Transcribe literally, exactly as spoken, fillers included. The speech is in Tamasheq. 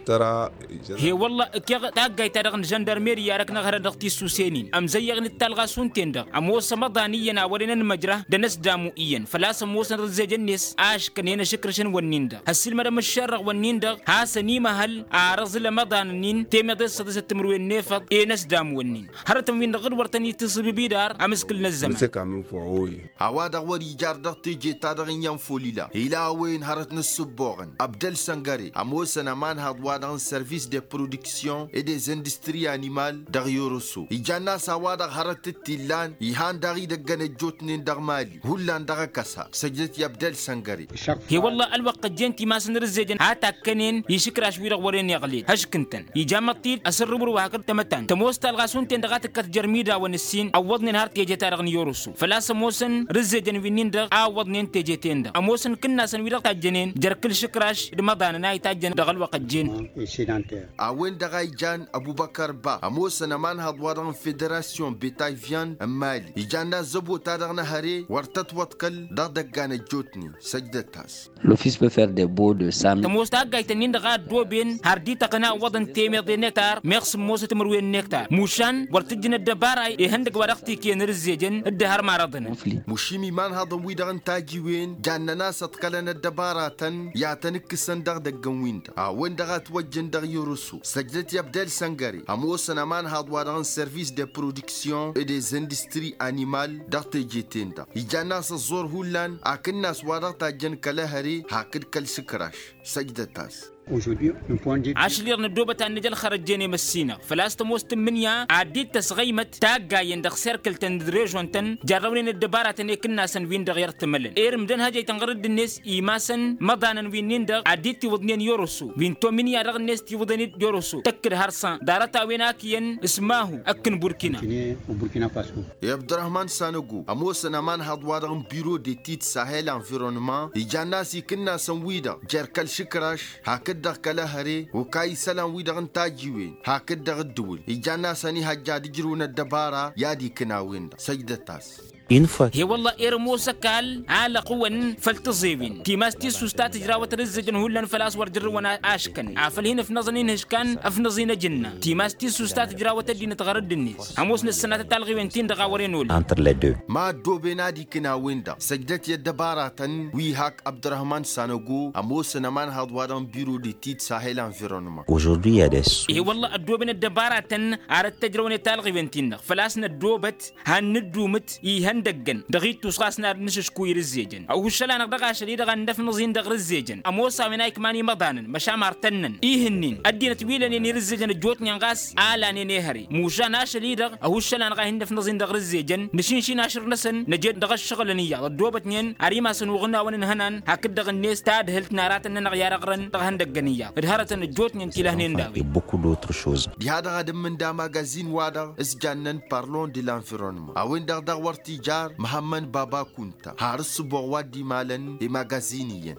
Tăra. He-wălla ǝkkeɣ taggayt-ta-dăɣ n-žăndarmeri i-ad-ăknăɣ hărăt dăɣ-tissusen-in ămzăyyăɣ-in d-talɣa šund-ten-dăɣ ămoos ămăḍan iyyăn a wărăn ănmăjrăh d-anăsdamu iyyăn făl-a-s ămoosăn rǝzzejăn-net aškăn enăšǝkrǝšăn wănnin-dăɣ hăssilmădăm ǝššerrăɣ wănnin-dăɣ has-ănimăhăl. Ar ăẓǝl ămăḍan-nin temeḍe s-săḍisăt timǝrwen n-efăḍ enăsdamu wănnin hărătăn-win-dăɣ dd-wăr tăn-itisǝbǝbi d-ar amǝskǝl n-ăzzăman. A-wa-dăɣ wăr-ijar dăɣ-teje-ta-dăɣ n-iyyăn folila ila a-wen hărăt n-ǝssǝbboɣăn abdăl săngăre ămoosăn ămanhaḍ-wa-dăɣ n-sărvis de produksyon e dez industri animal dăɣ-i-oroso ijann'-as a-wa-dăɣ hărăt t-illan ihan daɣ idăggăn ăjjootnen dăɣ-mali hullan dăɣ-ăkăsa săjdăt i-abdăl săngăre. He-wălla ălwăqq ăjjeen timasăn rǝzzejăn ha takkănen išǝkraš-wi-dăɣ wăren iɣled hăšk ǝntăn ija măṭṭid asǝrrǝwrǝw hakd tamătant tămoos talɣa šund-ten-dăɣ a tǝkkat jer-imidawăn ǝssin ăwwăḍnen har teje-ta-dăɣ n-i-oroso făl-a-s ămoosăn rǝzzejăn wi-nin-dăɣ a ǝwwăḍnen teje-ten-dăɣ ămoosăn ikǝnnasăn wi-dăɣ tajjănen jer-kăl-išǝkraš d-imăḍanăn a itajjăn dăɣ-ălwăqq ăjjeen. A-wen-dăɣ a ijan ăbubăkăr ba ămoosăn ămanhăḍ-wa-dăɣ n-federasyon betayvyan n-mali ijan n-azzăbo-ta-dăɣ n-ehăre wăr tătwăḍkăl dăɣ-idăggan ăjjootnen săjdăt-as. Lofis pe fer de bo de sam. Tămoos taggayt-ǝnnin-dăɣ a ăddooben har dităɣ n-a ǝwwăḍăn temeḍe n-ektar meɣ sǝmmosăt timǝrwen n-ektar mušan wăr tǝjjǝn ăddăbara ihăndăgg wa dăɣ-tikǝyăn rǝzzejăn dd-ehărmarăḍnăn. Mušim imanhăḍăn-wi-dăɣ n-tajiwen jannen a-s ăḍkălăn ăddăbaratăn i-ad-tăn-ǝkkǝsăn dăɣ-idăgg n-win-dăɣ a-wen-dăɣ a ătwăjjăn dăɣ-i-oroso săjdăt i-abdel săngăre ămoosăn ămanhăḍ-wa-dăɣ n-sărvis de produksyon e dez industri animal dăɣ-teje-ten-dăɣ ijan n-a-s ăẓẓor hullan akǝnnas wa dăɣ-tajjăn kăl-ehăre hakd kăl-išǝkraš. Săjdăt-as. Ašăl-i-dăɣ năddoobăt ad-nǝj ălxărăjjen i-măssinăɣ făl-a-s tămoos tǝmmǝnǝya ad-dd-tăsɣăymăt taggayen dăɣ-serkǝl-tăn d-režon-tăn jarrăwnen ăddăbaratăn i-kǝnnasăn-win-dăɣ i-ărtǝmălăn irǝm d-ănhăjăy tănɣăr-dd-net imasăn imăḍanăn wi-nin-dăɣ ad-dd-tiwǝḍnen i-oroso wi n-tominya-dăɣ-net tiwǝḍăn-dd i-oroso tăkk-dd hărsan ḍarăt-a-wen ak iyyăn s-mahu ăkk n-burkina. I-abdărrăhman sanăgo ămoosăn ămanhăḍ-wa-dăɣ n-biro de tid sahel anvirănman ijan n-a-s ikǝnnasăn-wi-dăɣ jer-kăl-išǝkraš hakd-dăɣ kăl-ehăre okay isălan-wi-dăɣ n-tajiwen hakd-dăɣ ǝddǝwǝl ijan n-a-s ănihăjja ad-ǝjrǝwăn ăddăbara i-ad-ikǝn a-wen-dăɣ săjdăt-as. He-wălla-hi ărmoos ăkall alăqwăn făll-tiẓewen timas tissust ta tǝjrawăt d-ǝzzǝjăn hullan făl-a-s wăr jărrǝwăn aškăn afăl hin-ǝfnăẓăn inhǝžkan ăfnăẓ-in ăjǝnna timas tissust ta tǝjrawăt ăddinăt ɣărădd-net ămoosnăt sănatăt talɣiwen-tin-dăɣ a wăren olăn. Ma ăddooben ad-ikǝn a-wen-dăɣ săjdăt i-ăddăbaratăn wi hak abdărrăhman sanăgo ămoosăn ămanhăḍ-wa-dăɣ n-biro de tid sahel anvirănman. Ăžordu i-ad-s. He-wălla ăddooben ăddăbaratăn ar dd-tăjrăwăn i-talɣiwen-tin-dăɣ făl-a-s năddoobăt han nǝddumǝt ihăndăggăn dăɣ-ittus ɣas n-ad-nǝšǝškuy rǝzzejăn ăhuššăl-anăɣ dăɣ-ašăl-i-dăɣ ad-nǝfnǝẓ-in dăɣ-rǝzzejăn ămoos a-wen a ikman imăḍanăn măšan mar tănnăn ih'-ǝnnin ăddinăt wi lănen i-rǝzzejăn ăjjootnen ɣas a lanen ehăre mušan ašăl-i-dăɣ ăhuššăl-anăɣ a hin-nǝfnǝẓ-in dăɣ-rǝzzejăn nǝšǝnšin ašrǝnăsăn năje-dd dăɣ-ăššăɣǝlăn iyyăḍ ăddoobătnen ar imasăn uɣǝnawăn ǝnhănan hakd-dăɣ-net tadhǝlt n-aratăn-nănăɣ i-ad-ăɣrăn dăɣ-ihăndăggăn iyyăḍ d-hărătăn ăjjootnen tilăhnen d-a-wen. Dăɣ-a-dăɣ ad-ǝmmǝnda magazin-wa-dăɣ s-jannen parlon de lanvironman a-wen-dăɣ daɣ wăr t-ijar măhămmăn baba kunta har ǝssǝboɣ wa dd-imalăn i-magazin iyyăn.